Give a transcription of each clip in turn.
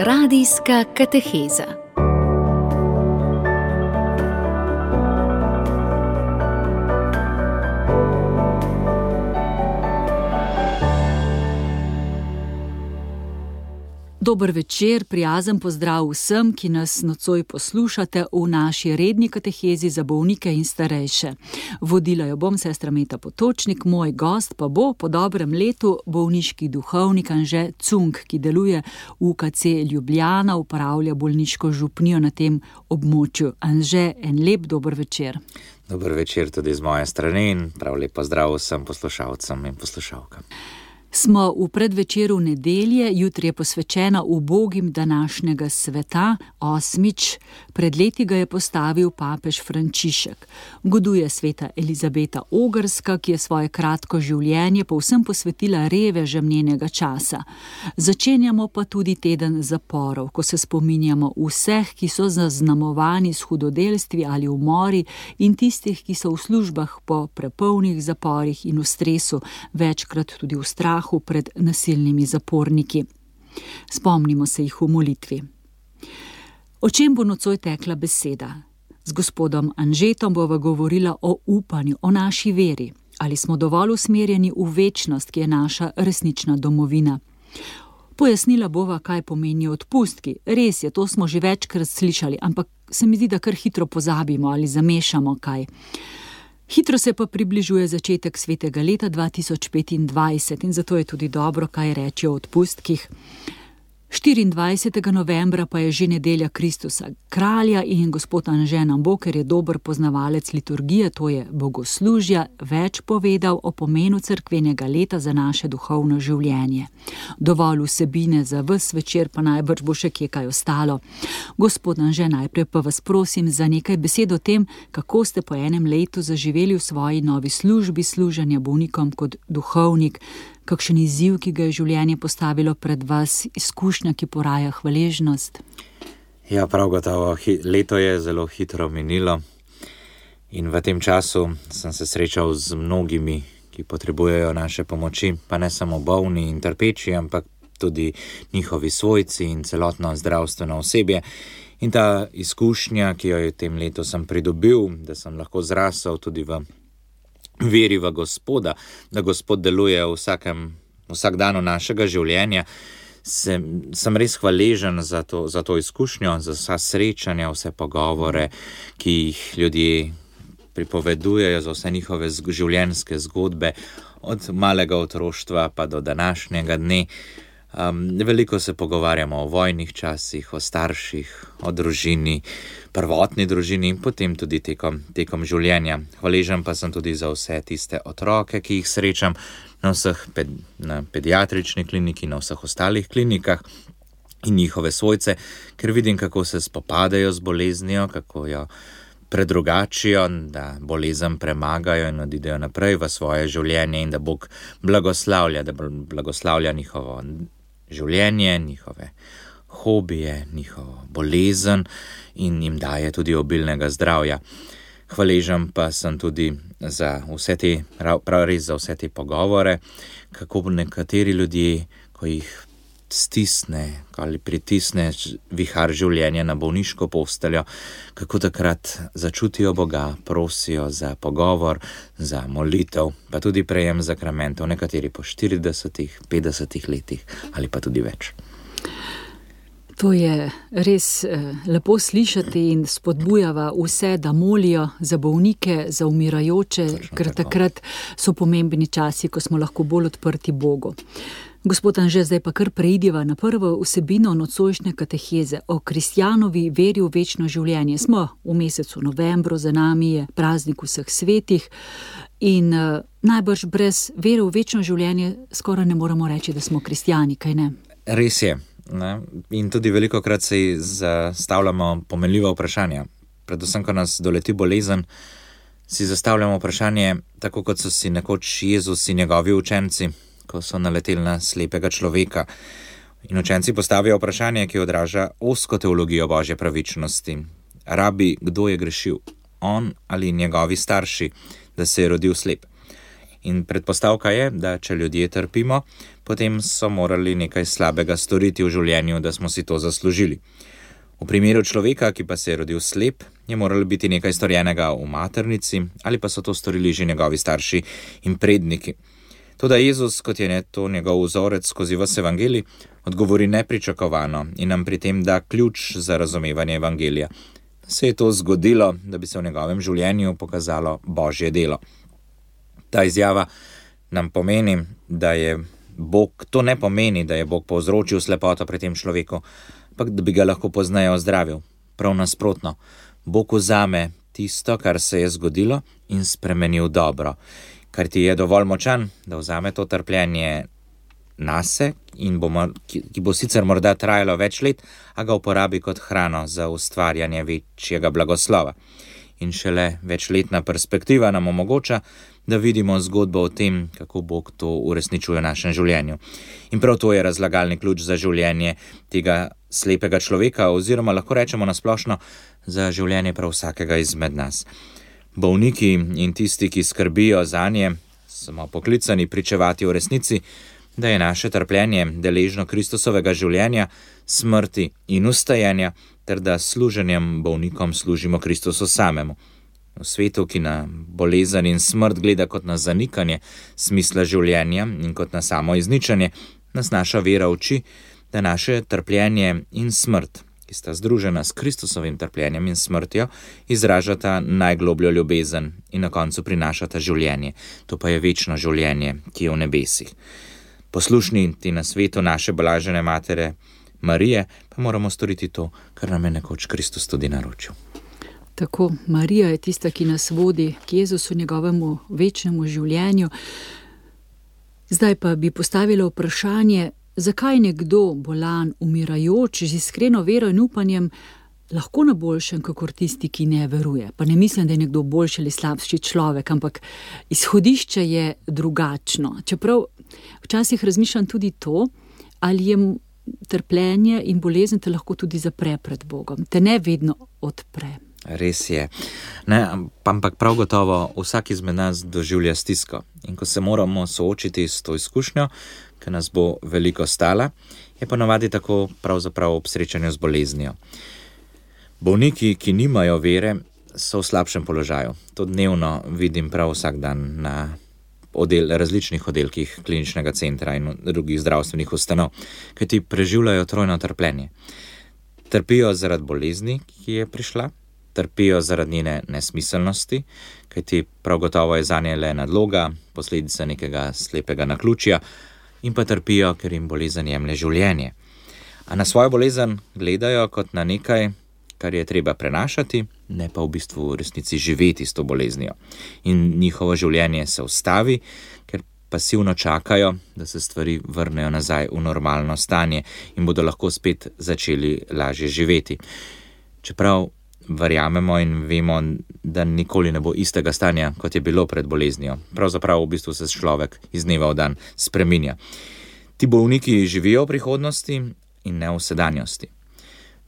Radijska kateheza. Dober večer, prijazen pozdrav vsem, ki nas nocoj poslušate v naši redni katehezi za bolnike in starejše. Vodila jo bom sestra Meta Potočnik, moj gost pa bo po dobrem letu bolniški duhovnik Anže Cunk, ki deluje v UKC Ljubljana, upravlja bolniško župnijo na tem območju. Anže, en lep dober večer. Dober večer tudi z moje strani in prav lep pozdrav vsem poslušalcem in poslušalkam. Smo v predvečeru nedelje, jutri je posvečena ubogim današnjega sveta, 8. Pred leti ga je postavil papež Frančišek. Goduje sveta Elizabeta Ogrska, ki je svoje kratko življenje povsem posvetila revežem njenega časa. Začenjamo pa tudi teden zaporov, ko se spominjamo vseh, ki so zaznamovani s hudodelstvi ali umori in tistih, ki so v službah po prepolnih zaporih in v stresu, večkrat tudi v strahu pred nasilnimi zaporniki. Spomnimo se jih v molitvi. O čem bo nocoj tekla beseda? Z gospodom Anžetom bova govorila o upanju, o naši veri. Ali smo dovolj usmerjeni v večnost, ki je naša resnična domovina? Pojasnila bova, kaj pomenijo odpustki. Res je, to smo že večkrat slišali, ampak se mi zdi, da kar hitro pozabimo ali zamešamo kaj. Hitro se pa približuje začetek svetega leta 2025 in zato je tudi dobro, kaj reči o odpustkih. 24. novembra pa je že nedelja Kristusa kralja in gospod Anže nam bo, ker je dober poznavalec liturgije, to je bogoslužja, več povedal o pomenu cerkvenega leta za naše duhovno življenje. Dovolj vsebine za ves večer, pa najbrž bo še kje kaj ostalo. Gospod Anže, najprej pa vas prosim za nekaj besed o tem, kako ste po enem letu zaživeli v svoji novi službi služenja bolnikom kot duhovnik. Kakšen izziv, ki ga je življenje postavilo pred vas, izkušnja, ki poraja hvaležnost? Ja, prav gotovo, leto je zelo hitro minilo in v tem času sem se srečal z mnogimi, ki potrebujejo naše pomoči, pa ne samo bolni in trpeči, ampak tudi njihovi svojci in celotno zdravstveno osebje. In ta izkušnja, ki jo je v tem letu sem pridobil, da sem lahko zrasel tudi v veri v Gospoda, da Gospod deluje vsak dan našega življenja, sem res hvaležen za to izkušnjo, za vsa srečanja, vse pogovore, ki jih ljudje pripovedujejo, za vse njihove življenjske zgodbe, od malega otroštva pa do današnjega dne. Veliko se pogovarjamo o vojnih časih, o starših, o družini, prvotni družini in potem tudi tekom življenja. Hvaležen pa sem tudi za vse tiste otroke, ki jih srečam na pediatrični kliniki, na vseh ostalih klinikah in njihove svojce, ker vidim, kako se spopadajo z boleznijo, kako jo predrugačijo, da bolezen premagajo in odidejo naprej v svoje življenje in da Bog blagoslavlja njihovo življenje, njihove hobije, njihovo bolezen in jim daje tudi obilnega zdravja. Hvaležen pa sem tudi za vse te pogovore, kako nekateri ljudje, ko jih stisne ali pritisne vihar življenja na bolniško posteljo, kako takrat začutijo Boga, prosijo za pogovor, za molitev, pa tudi prejem zakramentov, nekateri po 40, 50 letih ali pa tudi več. To je res lepo slišati in spodbujava vse, da molijo za bolnike, za umirajoče, ker takrat so pomembni časi, ko smo lahko bolj odprti Bogu. Gospod Anže, zdaj pa kar preidiva na prvo vsebino nocojšnje kateheze o kristjanovi veri v večno življenje. Smo v mesecu novembru, za nami je praznik vseh svetih in najbrž brez vere v večno življenje skoraj ne moremo reči, da smo kristjani, kaj ne? Res je. Ne? In tudi velikokrat se zastavljamo pomenljiva vprašanja. Predvsem, ko nas doleti bolezen, si zastavljamo vprašanje, tako kot so si nekoč Jezus in njegovi učenci, ko so naleteli na slepega človeka. In učenci postavijo vprašanje, ki odraža ozko teologijo Božje pravičnosti. Rabi, kdo je grešil? On ali njegovi starši, da se je rodil slep? In predpostavka je, da če ljudje trpimo, potem so morali nekaj slabega storiti v življenju, da smo si to zaslužili. V primeru človeka, ki pa se je rodil slep, je moralo biti nekaj storjenega v maternici ali pa so to storili že njegovi starši in predniki. Toda Jezus, kot je to njegov vzorec skozi ves evangelij, odgovori nepričakovano in nam pri tem da ključ za razumevanje evangelija. Se je to zgodilo, da bi se v njegovem življenju pokazalo Božje delo. Ta izjava nam pomeni, da je Bog, to ne pomeni, da je Bog povzročil slepoto pri tem človeku, ampak da bi ga lahko pozneje ozdravil. Prav nasprotno, Bog vzame tisto, kar se je zgodilo in spremeni v dobro, kar ti je dovolj močan, da vzame to trpljenje nase in ki bo sicer morda trajalo več let, a ga uporabi kot hrano za ustvarjanje večjega blagoslova. In šele večletna perspektiva nam omogoča, da vidimo zgodbo o tem, kako Bog to uresničuje v našem življenju. In prav to je razlagalni ključ za življenje tega slepega človeka, oziroma lahko rečemo nasplošno za življenje prav vsakega izmed nas. Bolniki in tisti, ki skrbijo zanje, smo poklicani pričevati o resnici, da je naše trpljenje deležno Kristusovega življenja, smrti in ustajenja, ter da služenjem bolnikom služimo Kristusu samemu. V svetu, ki na bolezen in smrt gleda kot na zanikanje smisla življenja in kot na samo izničenje, nas naša vera uči, da naše trpljenje in smrt, ki sta združena s Kristusovim trpljenjem in smrtjo, izražata najglobljo ljubezen in na koncu prinašata življenje. To pa je večno življenje, ki je v nebesih. Poslušni ti na svetu naše blažene matere Marije, pa moramo storiti to, kar nam je nekoč Kristus tudi naročil. Tako, Marija je tista, ki nas vodi k Jezusu, njegovemu večnemu življenju. Zdaj pa bi postavila vprašanje, zakaj nekdo bolan, umirajoč, z iskreno vero in upanjem, lahko na boljšem, kakor tisti, ki ne veruje. Pa ne mislim, da je nekdo boljši ali slabši človek, ampak izhodišče je drugačno. Čeprav včasih razmišljam tudi to, ali je trpljenje in bolezen te lahko tudi zapre pred Bogom, te ne vedno odpre. Res je. Ampak prav gotovo vsak izmed nas doživlja stisko. In ko se moramo soočiti s to izkušnjo, ki nas bo veliko stala, je ponavadi tako pravzaprav ob srečanju z boleznijo. Bolniki, ki nimajo vere, so v slabšem položaju. To dnevno vidim prav vsak dan na različnih oddelkih kliničnega centra in drugih zdravstvenih ustanov, kajti preživljajo trojno trpljenje. Trpijo zaradi bolezni, ki je prišla, trpijo zaradi njene nesmiselnosti, kajti prav gotovo je zanje le nadloga, posledica nekega slepega naključja, in pa trpijo, ker jim bolezen jemlje življenje. A na svojo bolezen gledajo kot na nekaj, kar je treba prenašati, ne pa v bistvu v resnici živeti s to boleznijo. In njihovo življenje se ustavi, ker pasivno čakajo, da se stvari vrnejo nazaj v normalno stanje in bodo lahko spet začeli lažje živeti. Čeprav verjamemo in vemo, da nikoli ne bo istega stanja, kot je bilo pred boleznijo. Pravzaprav v bistvu se človek iz dneva v dan spreminja. Ti bolniki živijo v prihodnosti in ne v sedanjosti.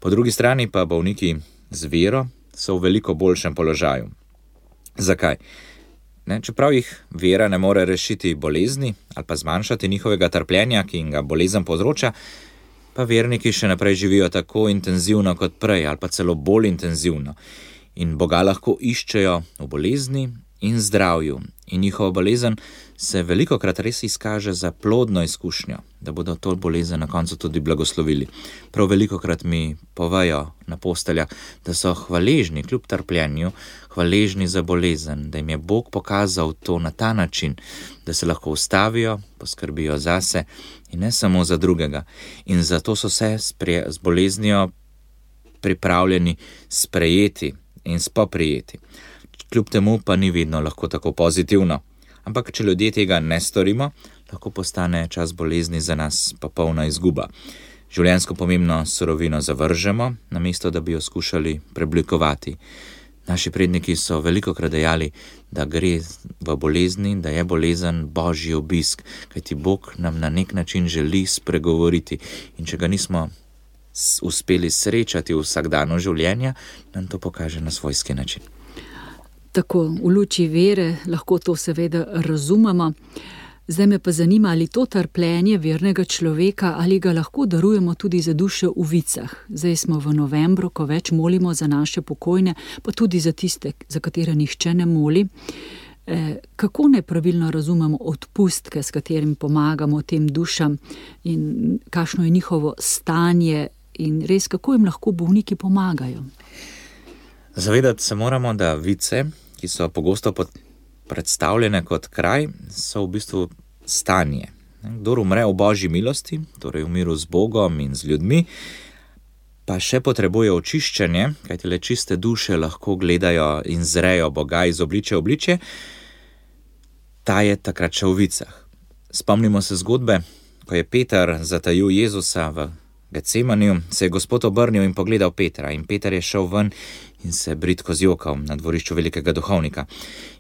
Po drugi strani pa bolniki z vero so v veliko boljšem položaju. Zakaj? Čeprav jih vera ne more rešiti bolezni ali pa zmanjšati njihovega trpljenja, ki jim ga bolezen povzroča, pa verniki še naprej živijo tako intenzivno kot prej ali pa celo bolj intenzivno. In Boga lahko iščejo v bolezni in zdravju. In njihova bolezen se velikokrat res izkaže za plodno izkušnjo, da bodo to bolezen na koncu tudi blagoslovili. Prav velikokrat mi povejo na posteljah, da so hvaležni kljub trpljenju, hvaležni za bolezen, da jim je Bog pokazal to na ta način, da se lahko ustavijo, poskrbijo zase in ne samo za drugega. In zato so se z boleznijo pripravljeni sprejeti in spoprijeti. Kljub temu pa ni vedno lahko tako pozitivno. Ampak če ljudje tega ne storimo, lahko postane čas bolezni za nas popolna izguba. Življenjsko pomembno surovino zavržemo, namesto da bi jo skušali preoblikovati. Naši predniki so velikokrat dejali, da gre v bolezni, da je bolezen Božji obisk, kajti Bog nam na nek način želi spregovoriti. In če ga nismo uspeli srečati v vsakdanu življenja, nam to pokaže na svojski način. Tako, v luči vere lahko to seveda razumemo. Zdaj me pa zanima, ali to trpljenje vernega človeka, ali ga lahko darujemo tudi za duše v vicah. Zdaj smo v novembru, ko več molimo za naše pokojne, pa tudi za tiste, za katere nihče ne moli. Kako nepravilno razumemo odpustke, s katerim pomagamo tem dušam in kakšno je njihovo stanje in res, kako jim lahko bolniki pomagajo? Zavedati se moramo, da vice, ki so pogosto predstavljene kot kraj, so v bistvu stanje. Kdor umre v Božji milosti, torej v miru z Bogom in z ljudmi, pa še potrebuje očiščenje, kajti le čiste duše lahko gledajo in zrejo Boga iz obličja v obličje, ta je takrat še v vicah. Spomnimo se zgodbe, ko je Peter zatajil Jezusa v Getsemaniju, se je Gospod obrnil in pogledal Petra in Peter je šel ven in se bridko zjokal na dvorišču velikega duhovnika.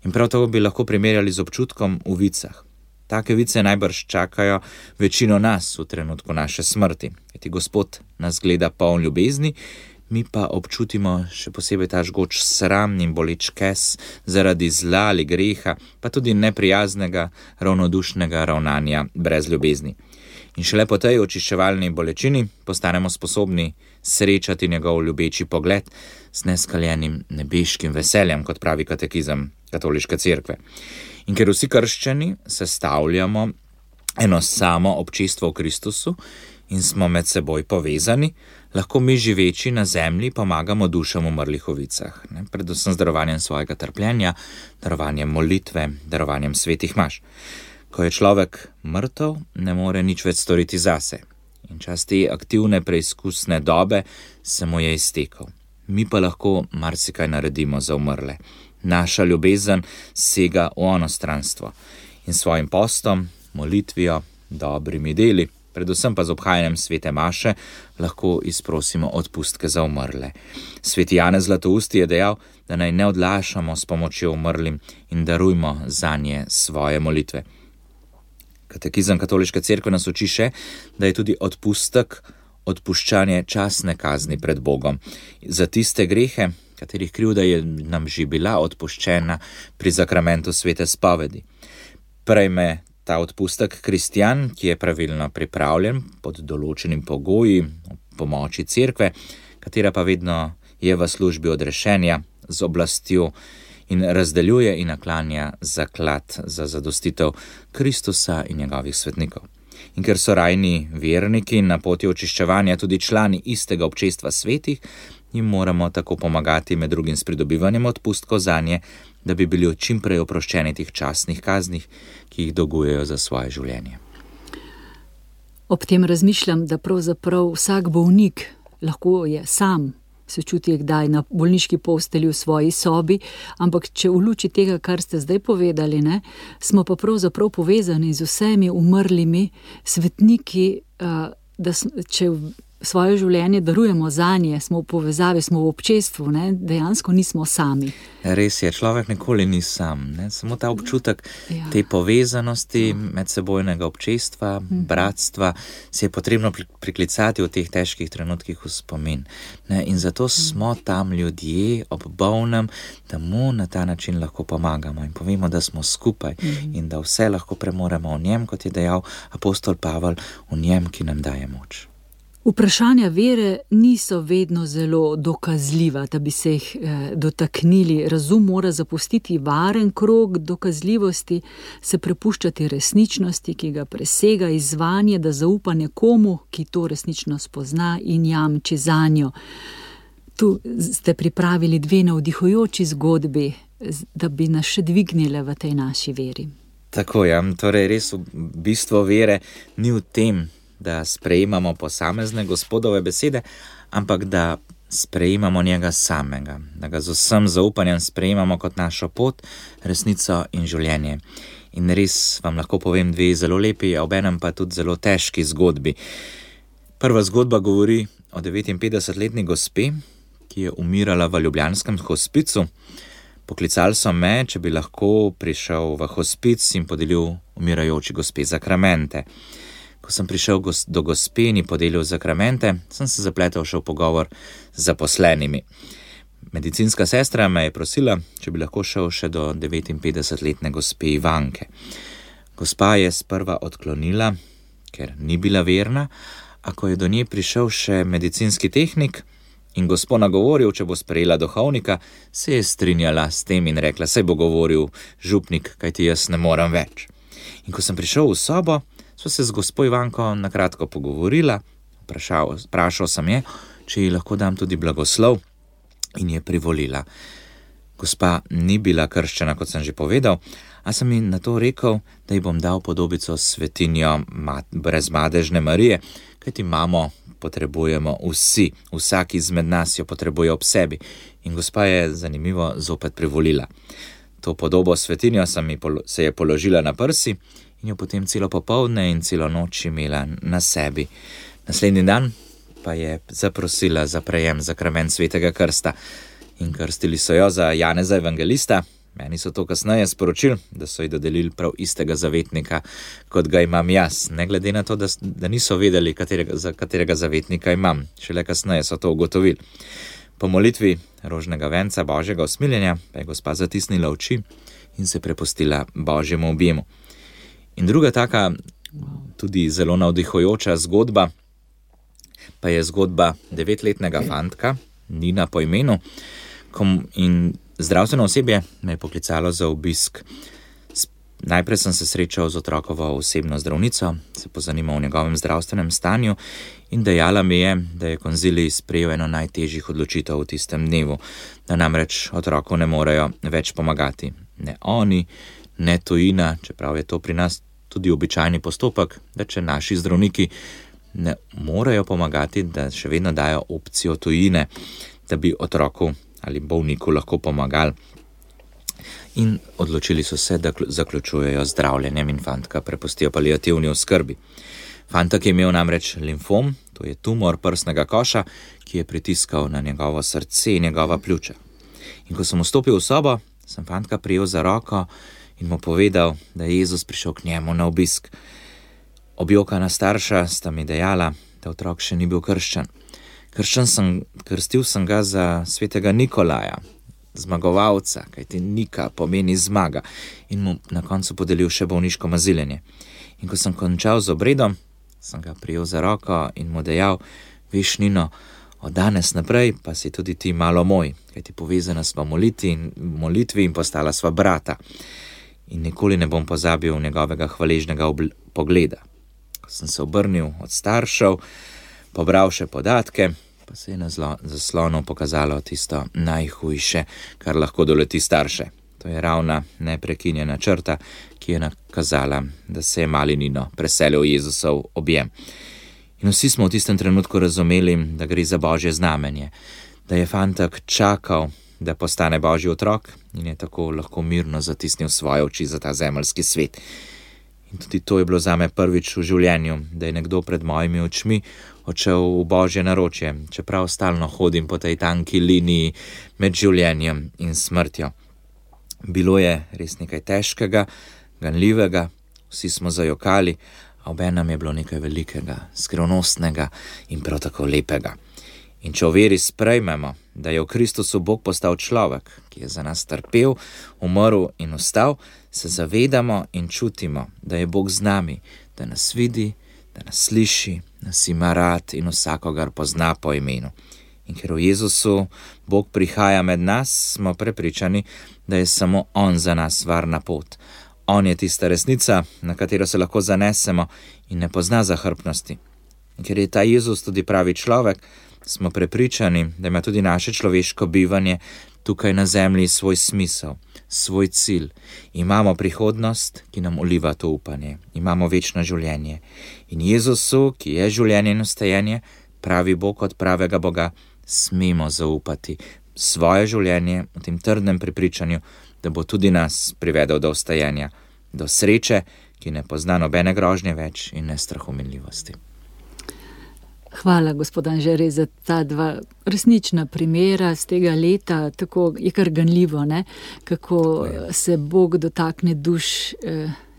In prav tako bi lahko primerjali z občutkom v vicah. Take vice najbrž čakajo večino nas v trenutku naše smrti, kajti Gospod nas gleda poln ljubezni, mi pa občutimo še posebej ta žgoč sram in boleč kes zaradi zla ali greha, pa tudi neprijaznega, ravnodušnega ravnanja brez ljubezni. In šele po tej očiščevalni bolečini postanemo sposobni srečati njegov ljubeči pogled z neskaljenim nebeškim veseljem, kot pravi katekizem Katoliške cerkve. In ker vsi krščani sestavljamo eno samo občestvo v Kristusu in smo med seboj povezani, lahko mi živeči na zemlji pomagamo dušam umrlih v vicah, predvsem z darovanjem svojega trpljenja, darovanjem molitve, darovanjem svetih maš. Ko je človek mrtev, ne more nič več storiti zase. In čas te aktivne preizkusne dobe se mu je iztekel. Mi pa lahko marsikaj naredimo za umrle. Naša ljubezen sega v onostranstvo. In svojim postom, molitvijo, dobrimi deli, predvsem pa z obhajanjem svete maše, lahko izprosimo odpustke za umrle. Sveti Janez Zlatousti je dejal, da naj ne odlašamo s pomočjo umrlim in darujmo zanje svoje molitve. Katekizem Katoliške cerkve nas uči še, da je tudi odpustek odpuščanje časne kazni pred Bogom. Za tiste grehe, katerih krivda je nam že bila odpuščena pri zakramentu svete spovedi. Prejme ta odpustek kristjan, ki je pravilno pripravljen pod določenim pogoji, pomoči cerkve, katera pa vedno je v službi odrešenja z oblastjo in razdeljuje in naklanja zaklad za zadostitev Kristusa in njegovih svetnikov. In ker so rajni verniki na poti očiščevanja tudi člani istega občestva svetih, jim moramo tako pomagati med drugim s pridobivanjem odpustkov zanje, da bi bili čim prej oproščeni teh časnih kaznih, ki jih dolgujejo za svoje življenje. Ob tem razmišljam, da pravzaprav vsak bolnik lahko je sam se čuti kdaj na bolniški postelji v svoji sobi, ampak če v luči tega, kar ste zdaj povedali, smo pa pravzaprav povezani z vsemi umrlimi svetniki, da če svoje življenje darujemo zanje, smo v povezavi, smo v občestvu, dejansko nismo sami. Res je, človek nikoli ni sam, samo ta občutek te povezanosti, medsebojnega občestva, bratstva, si je potrebno priklicati v teh težkih trenutkih v spomin. In zato smo tam ljudje ob bolnem, da mu na ta način lahko pomagamo in povemo, da smo skupaj in da vse lahko premoremo v njem, kot je dejal apostol Pavel, v njem, ki nam daje moč. Vprašanja vere niso vedno zelo dokazljiva, da bi se jih dotaknili. Razum mora zapustiti varen krog dokazljivosti, se prepuščati resničnosti, ki ga presega izzvanje, da zaupa nekomu, ki to resnično spozna in jamči zanjo. Tu ste pripravili 2 navdihujoči zgodbi, da bi nas še dvignile v tej naši veri. Tako je, torej res bistvo vere ni v tem, da sprejemamo posamezne Gospodove besede, ampak da sprejemamo njega samega, da ga z vsem zaupanjem sprejemamo kot našo pot, resnico in življenje. In res vam lahko povem 2 zelo lepi, a obenem pa tudi zelo težki zgodbi. Prva zgodba govori o 59-letni gospe, ki je umirala v ljubljanskem hospicu. Poklicali so me, če bi lahko prišel v hospic in podelil umirajoči gospe zakramente. Ko sem prišel do gospe in podelil zakramente, sem se zapletel še v pogovor z zaposlenimi. Medicinska sestra me je prosila, če bi lahko šel še do 59-letne gospe Ivanke. Gospa je sprva odklonila, ker ni bila verna, a ko je do nje prišel še medicinski tehnik in gospo nagovoril, če bo sprejela duhovnika, se je strinjala s tem in rekla, saj bo govoril župnik, kajti jaz ne morem več. In ko sem prišel v sobo, sva se z gospo Ivanko nakratko pogovorila, vprašal sem je, če ji lahko dam tudi blagoslov, in je privolila. Gospa ni bila krščena, kot sem že povedal, a sem ji na to rekel, da ji bom dal podobico svetinjo brezmadežne Marije, kajti mamo potrebujemo vsi, vsak izmed nas jo potrebuje ob sebi. In gospa je zanimivo zopet privolila. To podobo svetinjo se je položila na prsi in jo potem celo popoldne in celo noč imela na sebi. Naslednji dan pa je zaprosila za prejem zakrament svetega krsta in krstili so jo za Janeza evangelista. Meni so to kasneje sporočili, da so ji dodelili prav istega zavetnika, kot ga imam jaz, ne glede na to, da niso vedeli, za katerega zavetnika imam. Šele kasneje so to ugotovili. Po molitvi rožnega venca Božjega usmiljenja pa je gospa zatisnila oči in se prepustila Božjemu objemu. In druga taka, tudi zelo navdihujoča zgodba, pa je zgodba 9-letnega fantka, Nina po imenu, in zdravstveno osebje me je poklicalo za obisk. Najprej sem se srečal z otrokovo osebno zdravnico, se pozanimal o njegovem zdravstvenem stanju in dejala mi je, da je konzilij sprejel eno najtežjih odločitev v tistem dnevu, da namreč otroku ne morejo več pomagati. Ne oni, ne tujina, čeprav je to pri nas tudi običajni postopek, da če naši zdravniki ne morejo pomagati, da še vedno dajo opcijo tujine, da bi otroku ali bolniku lahko pomagali. In odločili so se, da zaključujejo zdravljenjem in fantka prepustijo paliativni oskrbi. Fantek je imel namreč limfom, to je tumor prsnega koša, ki je pritiskal na njegovo srce in njegova pljuča. In ko sem vstopil v sobo, sem fantka prijel za roko in mu povedal, da je Jezus prišel k njemu na obisk. Objokana starša sta mi dejala, da otrok še ni bil krščen. Krstil sem ga za svetega Nikolaja, zmagovalca, kajti Nika pomeni zmaga, in mu na koncu podelil še bolniško maziljenje. In ko sem končal z obredom, sem ga prijel za roko in mu dejal, veš, Nino, od danes naprej pa si tudi ti malo moj, kajti povezana sva molitvi in postala sva brata. In nikoli ne bom pozabil njegovega hvaležnega pogleda. Ko sem se obrnil od staršev, pobral še podatke, pa se je na zaslonu pokazalo tisto najhujše, kar lahko doleti starše. To je ravna neprekinjena črta, ki je nakazala, da se je mali Nino preselil v Jezusov objem. In vsi smo v tistem trenutku razumeli, da gre za Božje znamenje, da je fantek čakal, da postane Božji otrok in je tako lahko mirno zatisnil svoje oči za ta zemeljski svet. In tudi to je bilo zame prvič v življenju, da je nekdo pred mojimi očmi odšel v Božje naročje, čeprav stalno hodim po tej tanki liniji med življenjem in smrtjo. Bilo je res nekaj težkega, ganljivega, vsi smo zajokali, a obenem je bilo nekaj velikega, skrivnostnega in prav tako lepega. In če v veri sprejmemo, da je v Kristusu Bog postal človek, ki je za nas trpel, umrl in vstal, se zavedamo in čutimo, da je Bog z nami, da nas vidi, da nas sliši, nas ima rad in vsakogar pozna po imenu. In ker v Jezusu Bog prihaja med nas, smo prepričani, da je samo On za nas varna pot. On je tista resnica, na katero se lahko zanesemo in ne pozna zahrbtnosti. In ker je ta Jezus tudi pravi človek, smo prepričani, da ima tudi naše človeško bivanje tukaj na zemlji svoj smisel, svoj cilj. Imamo prihodnost, ki nam uliva to upanje. Imamo večno življenje. In Jezusu, ki je življenje in vstajenje, pravi Bog od pravega Boga, smemo zaupati svoje življenje v tem trdnem prepričanju, da bo tudi nas privedel do vstajenja, do sreče, ki ne pozna nobene grožnje več in ne strahominljivosti. Hvala, gospod Anže, za ta dva resnična primera z tega leta. Tako je kar ganljivo, ne? Kako se Bog dotakne duš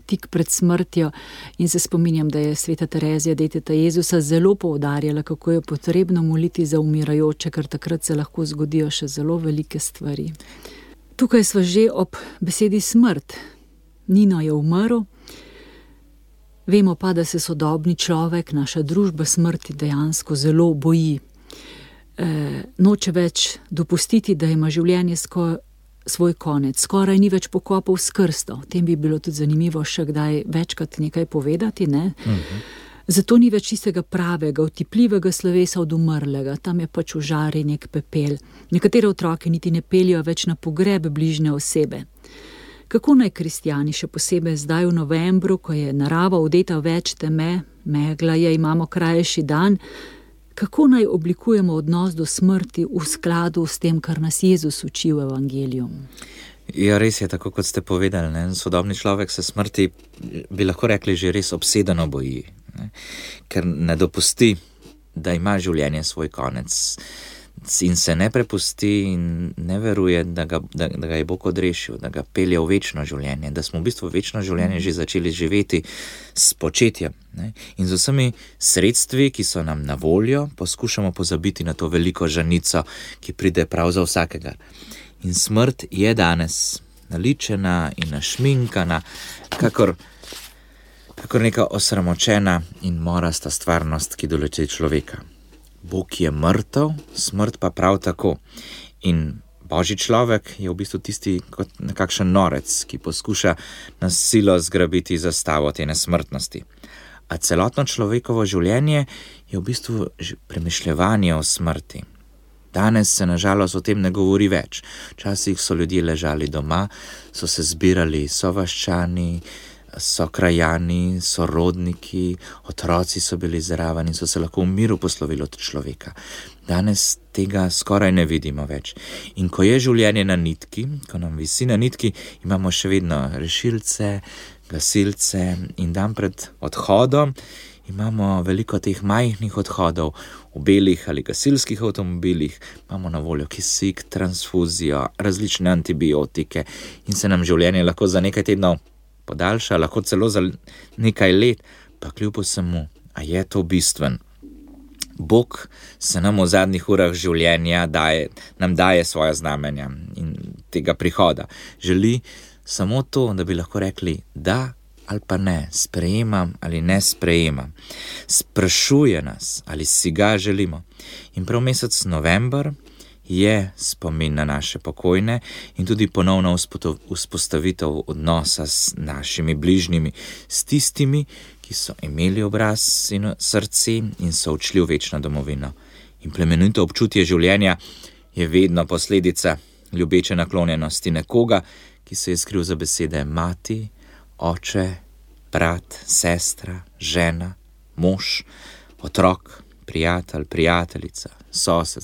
tik pred smrtjo in se spominjam, da je sveta Terezija, deteta Jezusa, zelo poudarjala, kako je potrebno moliti za umirajoče, ker takrat se lahko zgodijo še zelo velike stvari. Tukaj sva že ob besedi smrt. Nino je umrl. Vemo pa, da se sodobni človek, naša družba smrti dejansko zelo boji. Noče več dopustiti, da ima življenje svoj konec. Skoraj ni več pokopal s krsto. O tem bi bilo tudi zanimivo še kdaj večkrat nekaj povedati, ne? Zato ni več tistega pravega, otipljivega slovesa od umrlega. Tam je pač v žari nek pepel. Nekatere otroke niti ne peljejo več na pogreb bližnje osebe. Kako naj kristjani, še posebej zdaj v novembru, ko je narava odeta več teme, megla je, imamo krajši dan, kako naj oblikujemo odnos do smrti v skladu s tem, kar nas Jezus uči v evangeliju? Ja, res je, tako kot ste povedali, ne? Sodobni človek se smrti, bi lahko rekli, že res obsedeno boji, ne? Ker ne dopusti, da ima življenje svoj konec in se ne prepusti in ne veruje, da ga je Bog odrešil, da ga pelje v večno življenje, da smo v bistvu večno življenje že začeli živeti s početjem, ne? In z vsemi sredstvi, ki so nam na voljo, poskušamo pozabiti na to veliko žanico, ki pride prav za vsakega. In smrt je danes naličena in našminkana, kakor neka osramočena in morasta stvarnost, ki doleti človeka. Bog je mrtev, smrt pa prav tako. In Božji človek je v bistvu tisti kot nekakšen norec, ki poskuša na silo zgrabiti zastavo te nesmrtnosti. A celotno človekovo življenje je v bistvu premišljevanje o smrti. Danes se nažalost o tem ne govori več. Včasih so ljudje ležali doma, so se zbirali sovaščani, sokrajani, sorodniki, otroci so bili zraven in so se lahko v miru poslovili od človeka. Danes tega skoraj ne vidimo več. In ko je življenje na nitki, ko nam visi na nitki, imamo še vedno rešilce, gasilce in dan pred odhodom imamo veliko teh majhnih odhodov v belih ali gasilskih avtomobilih, imamo na voljo kisik, transfuzijo, različne antibiotike in se nam življenje lahko za nekaj tednov podaljša, lahko celo za nekaj let, pa kljub vsemu, a je to bistven. Bog se nam v zadnjih urah življenja nam daje svoja znamenja in tega prihoda. Želi samo to, da bi lahko rekli da ali pa ne, sprejemam ali ne sprejemam. Sprašuje nas, ali si ga želimo. In prav mesec november je spomin na naše pokojne in tudi ponovno vzpostavitev odnosa s našimi bližnjimi, s tistimi, ki so imeli obraz in srce in so odšli v večno domovino. In plemenito občutje življenja je vedno posledica ljubeče naklonjenosti nekoga, ki se je skril za besede mati, oče, brat, sestra, žena, mož, otrok, prijatelj, prijateljica, sosed,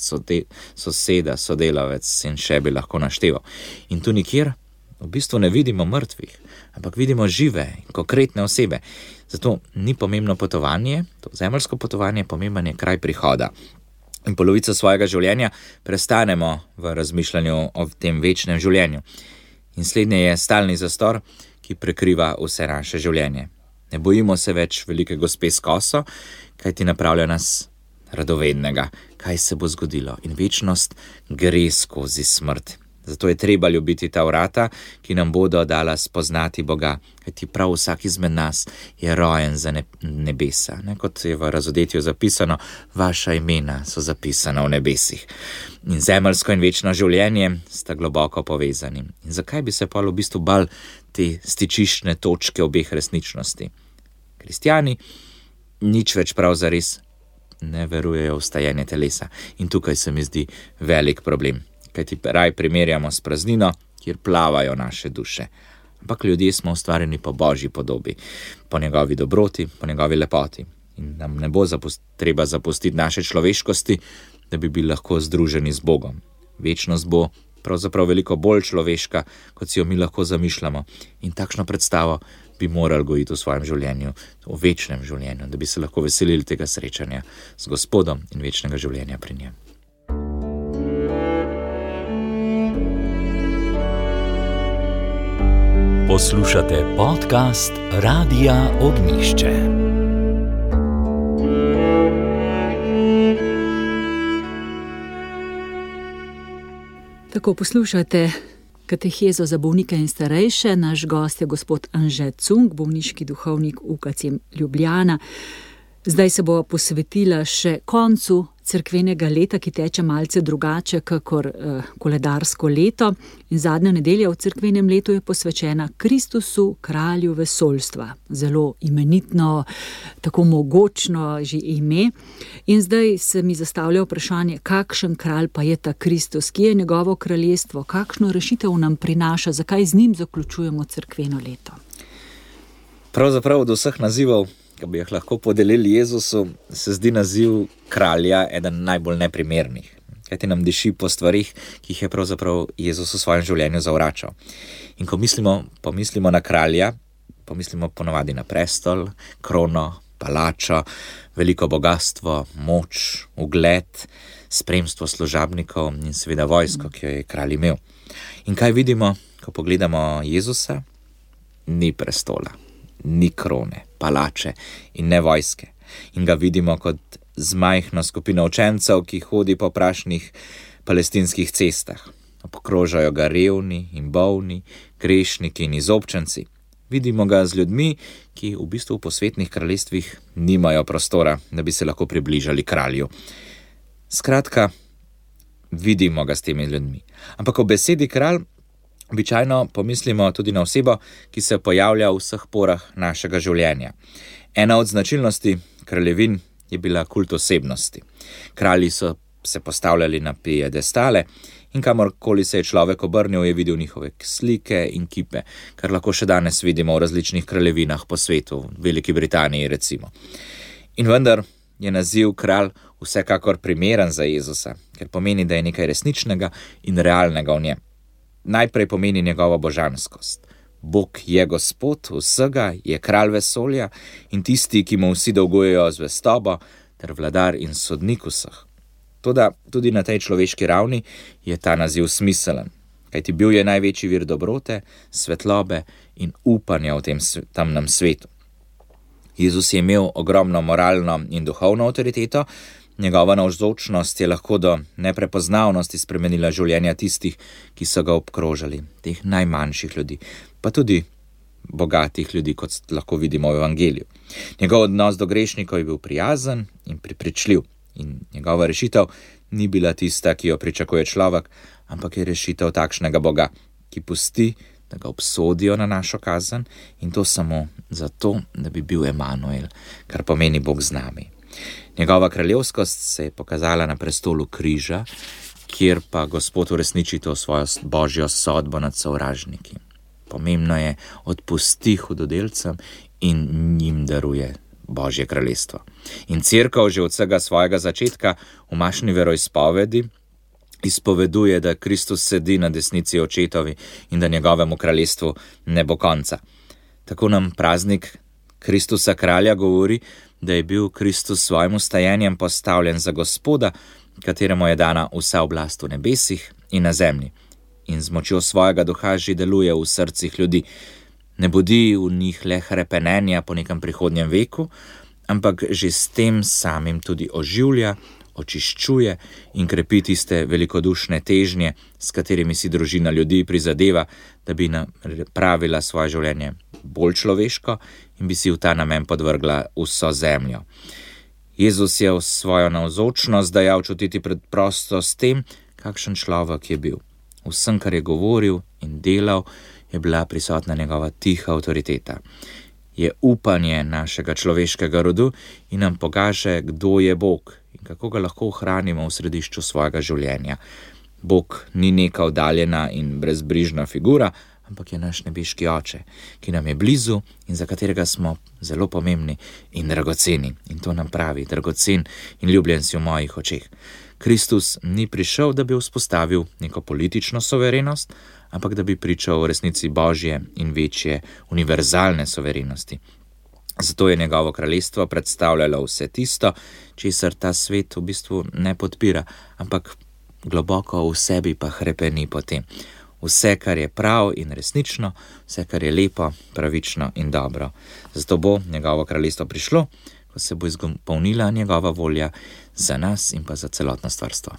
soseda, sodelavec in še bi lahko našteval. In tu nikjer v bistvu ne vidimo mrtvih, ampak vidimo žive in konkretne osebe. Zato ni pomembno potovanje, to zemeljsko potovanje, pomemben je kraj prihoda. In polovico svojega življenja prestanemo v razmišljanju o tem večnem življenju. In slednje je stalni zastor, ki prekriva vse naše življenje. Ne bojimo se več velike gospe s koso, kaj ti napravlja nas radovednega, kaj se bo zgodilo. In večnost gre skozi smrt. Zato je treba ljubiti ta vrata, ki nam bodo dala spoznati Boga, kajti prav vsak izmed nas je rojen za nebesa. Ne? Kot je v razodetju zapisano, vaša imena so zapisana v nebesih. In zemeljsko in večno življenje sta globoko povezani. In zakaj bi se pa v bistvu bal te stičiščne točke obeh resničnosti? Kristjani nič več prav zares ne verujejo v stajanje telesa. In tukaj se mi zdi velik problem. Kajti raj primerjamo s praznino, kjer plavajo naše duše. Ampak ljudje smo ustvarjeni po Božji podobi, po njegovi dobroti, po njegovi lepoti. In nam ne bo treba zapustiti naše človeškosti, da bi bili lahko združeni z Bogom. Večnost bo pravzaprav veliko bolj človeška, kot si jo mi lahko zamišljamo. In takšno predstavo bi morali gojiti v svojem življenju, v večnem življenju, da bi se lahko veselili tega srečanja z Gospodom in večnega življenja pri njem. Poslušate podcast Radia Ognjišče. Tako poslušate katehezo za bolnike in starejše. Naš gost je gospod Anže Cunk, bolniški duhovnik UKC Ljubljana. Zdaj se bo posvetila še koncu cerkvenega leta, ki teče malce drugače kakor koledarsko leto. In zadnja nedelja v cerkvenem letu je posvečena Kristusu, kralju vesoljstva. Zelo imenitno, tako mogočno že ime. In zdaj se mi zastavlja vprašanje, kakšen kralj pa je ta Kristus, ki je njegovo kraljestvo, kakšno rešitev nam prinaša, zakaj z njim zaključujemo cerkveno leto. Pravzaprav od vseh nazivov, ki bi jih lahko podelili Jezusu, se zdi naziv kralja eden najbolj neprimernih. Kajti nam diši po stvarih, ki jih je pravzaprav Jezus v svojem življenju zavračal. In ko pomislimo na kralja, pomislimo ponovadi na prestol, krono, palačo, veliko bogastvo, moč, ugled, spremstvo služabnikov in seveda vojsko, ki jo je kralj imel. In kaj vidimo, ko pogledamo Jezusa? Ni prestola, ni krone, palače in ne vojske. In ga vidimo kot z majhno skupino učencev, ki hodi po prašnih palestinskih cestah. Obkrožajo ga revni in bolni, grešniki in izobčenci. Vidimo ga z ljudmi, ki v bistvu po svetnih kraljestvih nimajo prostora, da bi se lahko približali kralju. Skratka, vidimo ga s temi ljudmi. Ampak o besedi kralj običajno pomislimo tudi na osebo, ki se pojavlja v vseh porah našega življenja. Ena od značilnosti kraljevin je bila kult osebnosti. Kralji so se postavljali na piedestale in kamorkoli se je človek obrnil, je videl njihove slike in kipe, kar lahko še danes vidimo v različnih kraljevinah po svetu, v Veliki Britaniji recimo. In vendar je naziv kralj vsekakor primeren za Jezusa, ker pomeni, da je nekaj resničnega in realnega v njem. Najprej pomeni njegovo božanskost. Bog je Gospod vsega, je kralj vesolja in tisti, ki mu vsi dolgujejo zvestobo, ter vladar in sodnik vseh. Toda tudi na tej človeški ravni je ta naziv smiselen, kajti bil je največji vir dobrote, svetlobe in upanja v tem temnem svetu. Jezus je imel ogromno moralno in duhovno avtoriteto, njegova navzočnost je lahko do neprepoznavnosti spremenila življenja tistih, ki so ga obkrožali, teh najmanjših ljudi, pa tudi bogatih ljudi, kot lahko vidimo v evangeliju. Njegov odnos do grešnikov je bil prijazen in prepričljiv in njegova rešitev ni bila tista, ki jo pričakuje človek, ampak je rešitev takšnega Boga, ki pusti, da ga obsodijo na našo kazen in to samo zato, da bi bil Emanuel, kar pomeni Bog z nami. Njegova kraljevskost se je pokazala na prestolu križa, kjer pa Gospod uresniči to svojo božjo sodbo nad sovražniki. Pomembno je, odpusti hudodelcem in njim daruje Božje kraljestvo. In cerkev že od vsega svojega začetka v mašni veroizpovedi izpoveduje, da Kristus sedi na desnici očetovi in da njegovemu kraljestvu ne bo konca. Tako nam praznik Kristusa kralja govori, da je bil Kristus svojim vstajenjem postavljen za Gospoda, kateremu je dana vsa oblast v nebesih in na zemlji. In z močjo svojega duha že deluje v srcih ljudi. Ne budi v njih le hrepenenja po nekem prihodnjem veku, ampak že s tem samim tudi oživlja, očiščuje in krepi tiste velikodušne težnje, s katerimi si družina ljudi prizadeva, da bi napravila svoje življenje bolj človeško in bi si v ta namen podvrgla vso zemljo. Jezus je v svojo navzočnost dajal čutiti preprosto s tem, kakšen človek je bil. Vsem, kar je govoril in delal, je bila prisotna njegova tiha avtoriteta. Je upanje našega človeškega rodu in nam pokaže, kdo je Bog in kako ga lahko ohranimo v središču svojega življenja. Bog ni neka oddaljena in brezbrižna figura, ampak je naš nebeški oče, ki nam je blizu in za katerega smo zelo pomembni in dragoceni. In to nam pravi, dragocen in ljubljen si v mojih očeh. Kristus ni prišel, da bi vzpostavil neko politično suverenost, ampak da bi pričal o resnici Božje in večje univerzalne suverenosti. Zato je njegovo kraljestvo predstavljalo vse tisto, česar ta svet v bistvu ne podpira, ampak globoko v sebi pa hrepeni po tem. vse, kar je prav in resnično, vse, kar je lepo, pravično in dobro. Zato bo njegovo kraljestvo prišlo, ko se bo izpolnila njegova volja za nas in pa za celotno stvarstvo.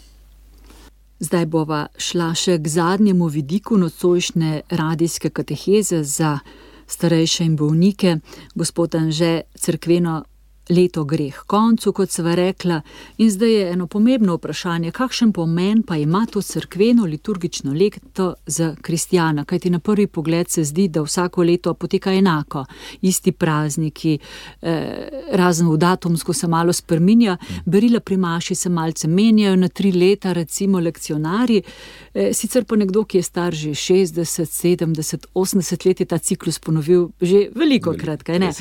Zdaj bova šla še k zadnjemu vidiku nocojšnje radijske kateheze za starejše in bolnike. Gospod Anže, cerkveno leto gre k koncu, kot sva rekla, in zdaj je eno pomembno vprašanje, kakšen pomen pa ima to cerkveno liturgično leto za kristjana, kajti na prvi pogled se zdi, da vsako leto poteka enako, isti prazniki, razen v datumsko se malo spreminja, berila pri maši se malce menjajo na 3 leta, recimo lekcionarji, sicer pa nekdo, ki je star že 60, 70, 80 let, je ta ciklus ponovil že velikokrat, kaj ne?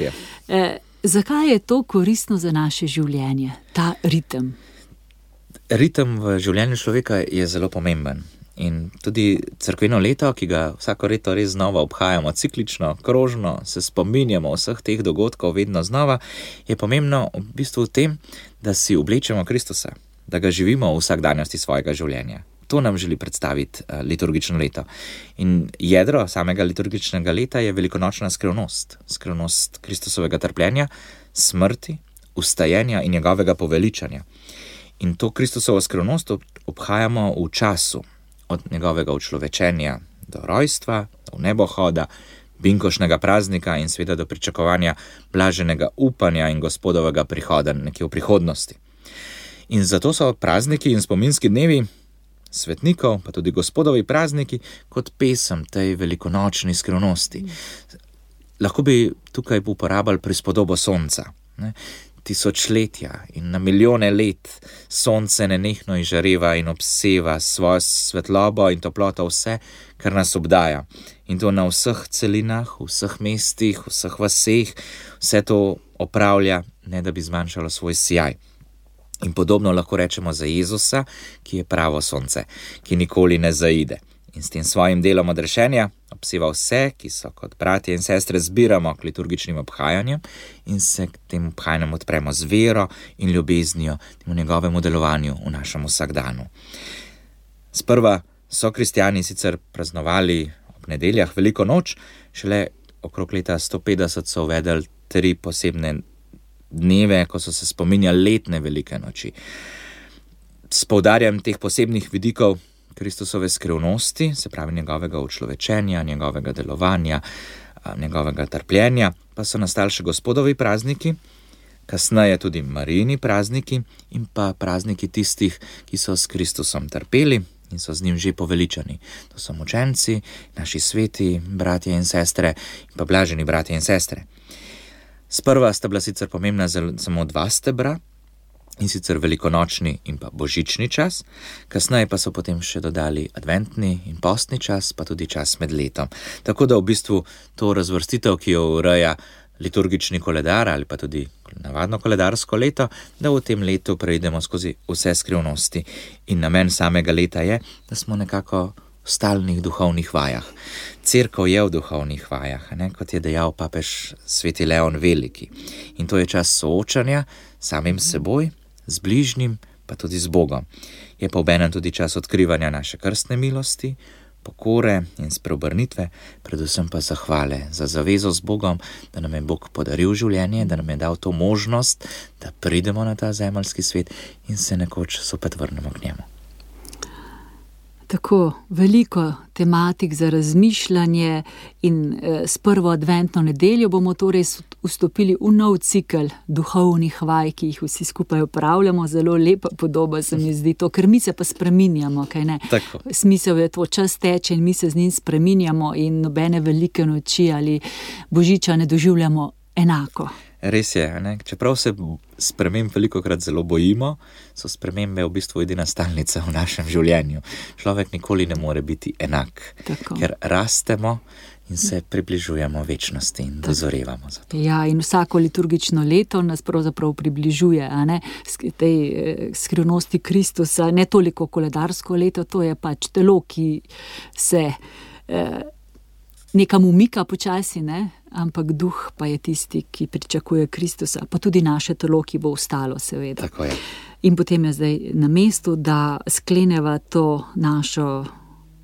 Zakaj je to koristno za naše življenje, ta ritem? Ritem v življenju človeka je zelo pomemben. In tudi cerkveno leto, ki ga vsako leto res znova obhajamo ciklično, krožno, se spominjamo vseh teh dogodkov vedno znova, je pomembno v bistvu v tem, da si oblečemo Kristusa, da ga živimo v vsakdanjosti svojega življenja. To nam želi predstaviti liturgično leto. In jedro samega liturgičnega leta je velikonočna skrivnost Kristusovega trpljenja, smrti, vstajenja in njegovega poveličanja. In to Kristusovo skrivnost obhajamo v času, od njegovega učlovečenja do rojstva, do nebohoda, binkošnega praznika in seveda do pričakovanja blaženega upanja in Gospodovega prihoda nekje v prihodnosti. In zato so prazniki in spominski dnevi svetnikov, pa tudi Gospodovi prazniki, kot pesem tej velikonočni skrivnosti. Lahko bi tukaj uporabljali prispodobo sonca. Tisočletja in na milijone let sonce nenehno izžareva in obseva svojo svetlobo in toploto vse, kar nas obdaja. In to na vseh celinah, v vseh mestih, v vseh vaseh, vse to opravlja, ne da bi zmanjšalo svoj sijaj. In podobno lahko rečemo za Jezusa, ki je pravo sonce, ki nikoli ne zaide. In s tem svojim delom odrešenja obseva vse, ki so kot bratje in sestre zbiramo k liturgičnim obhajanjem in se k tem obhajanjem odpremo z vero in ljubeznijo v njegovemu delovanju v našem vsakdanu. Sprva so kristjani sicer praznovali ob nedeljah veliko noč, šele okrog leta 150 so uvedli 3 posebne dneve, ko so se spominjali letne velike noči. S poudarjanjem teh posebnih vidikov Kristusove skrivnosti, se pravi njegovega učlovečenja, njegovega delovanja, njegovega trpljenja, pa so nastali še Gospodovi prazniki, kasneje tudi Marijini prazniki in pa prazniki tistih, ki so s Kristusom trpeli in so z njim že poveličani. To so mučenci, naši sveti, bratje in sestre in pa blaženi bratje in sestre. Sprva sta bila sicer pomembna samo 2 stebra, in sicer velikonočni in pa božični čas, kasneje pa so potem še dodali adventni in postni čas, pa tudi čas med letom. Tako da v bistvu to razvrstitev, ki jo ureja liturgični koledar ali pa tudi navadno koledarsko leto, da v tem letu preidemo skozi vse skrivnosti. In namen samega leta je, da smo nekako v stalnih duhovnih vajah. Cerkev je v duhovnih vajah, kot je dejal papež sveti Leon Veliki. In to je čas soočanja samim seboj, z bližnjim, pa tudi z Bogom. Je pa obenem tudi čas odkrivanja naše krstne milosti, pokore in spreobrnitve, predvsem pa zahvale za zavezo z Bogom, da nam je Bog podaril življenje, da nam je dal to možnost, da pridemo na ta zemeljski svet in se nekoč zopet vrnemo k njemu. Tako veliko tematik za razmišljanje in s prvo adventno nedeljo bomo torej vstopili v nov cikel duhovnih vaj, ki jih vsi skupaj upravljamo. Zelo lepa podoba se mi zdi to, ker mi se pa spreminjamo, kaj ne? Tako. Smisel je to, čas teče in mi se z njim spreminjamo in nobene velike noči ali božiča ne doživljamo enako. Res je, čeprav se sprememb velikokrat zelo bojimo, so spremembe v bistvu edina stalnica v našem življenju. Človek nikoli ne more biti enak, ker rastemo in se približujemo večnosti in dozorevamo za to. Ja, in vsako liturgično leto nas pravzaprav približuje, tej skrivnosti Kristusa, ne toliko koledarsko leto, to je pač telo, ki se nekam umika počasi, ampak duh pa je tisti, ki pričakuje Kristusa, pa tudi naše telo, ki bo ostalo, seveda. Tako je. In potem je zdaj na mestu, da skleneva to našo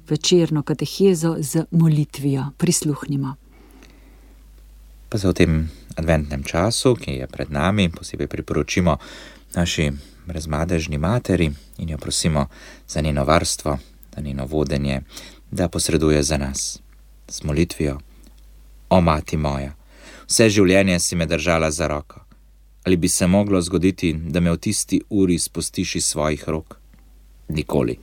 večerno katehezo z molitvijo. Prisluhnimo. Pa se v tem adventnem času, ki je pred nami, posebej priporočimo naši brezmadežni materi in jo prosimo za njeno varstvo, za njeno vodenje, da posreduje za nas z molitvijo. O mati moja, vse življenje si me držala za roko. Ali bi se moglo zgoditi, da me v tisti uri spustiš iz svojih rok? Nikoli.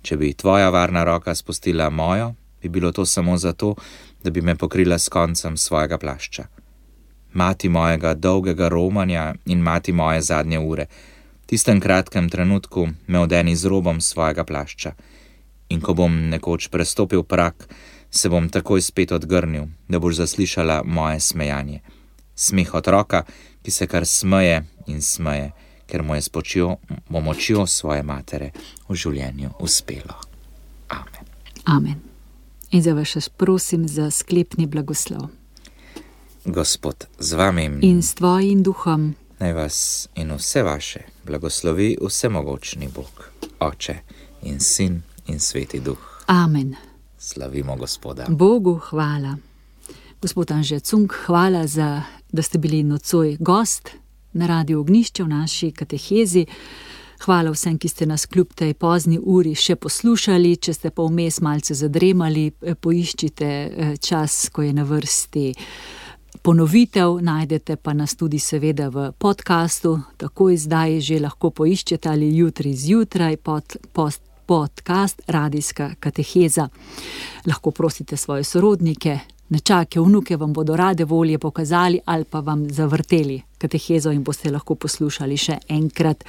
Če bi tvoja varna roka spustila mojo, bi bilo to samo zato, da bi me pokrila s koncem svojega plašča. Mati mojega dolgega romanja in mati moje zadnje ure, v tistem kratkem trenutku me odeni z robom svojega plašča. In ko bom nekoč prestopil prak, se bom takoj spet odgrnil, da boš zaslišala moje smejanje. Smeh otroka, ki se kar smeje in smeje, ker mu je s pomočjo svoje matere v življenju uspelo. Amen. Amen. In zdaj vas prosim za sklepni blagoslov. Gospod z vami in s tvojim duhom, naj vas in vse vaše blagoslovi vsemogočni Bog, Oče in Sin in Sveti Duh. Amen. Slavimo Gospoda. Bogu hvala. Gospod Anže Cunk, hvala, da ste bili nocoj gost na Radiu Ognjišče v naši katehezi. Hvala vsem, ki ste nas kljub tej pozni uri še poslušali. Če ste pa vmes malce zadremali, poiščite čas, ko je na vrsti ponovitev. Najdete pa nas tudi seveda v podcastu. Takoj zdaj že lahko poiščete ali jutri zjutraj podcast Radijska kateheza. Lahko prosite svoje sorodnike, nečake, vnuke vam bodo rade volje pokazali ali pa vam zavrteli katehezo in boste lahko poslušali še enkrat.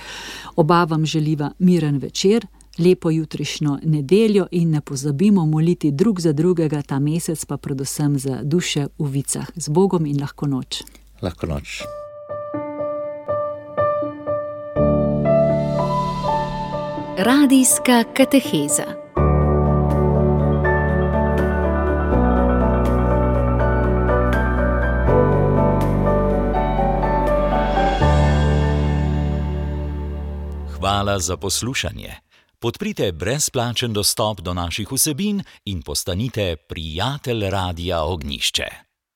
Oba vam želiva miren večer, lepo jutrišnjo nedeljo in ne pozabimo moliti drug za drugega ta mesec, pa predvsem za duše v vicah. Z Bogom in lahko noč. Lahko noč. Radijska kateheza. Hvala za poslušanje. Podprite brezplačen dostop do naših vsebin in postanite prijatelj Radia Ognjišče.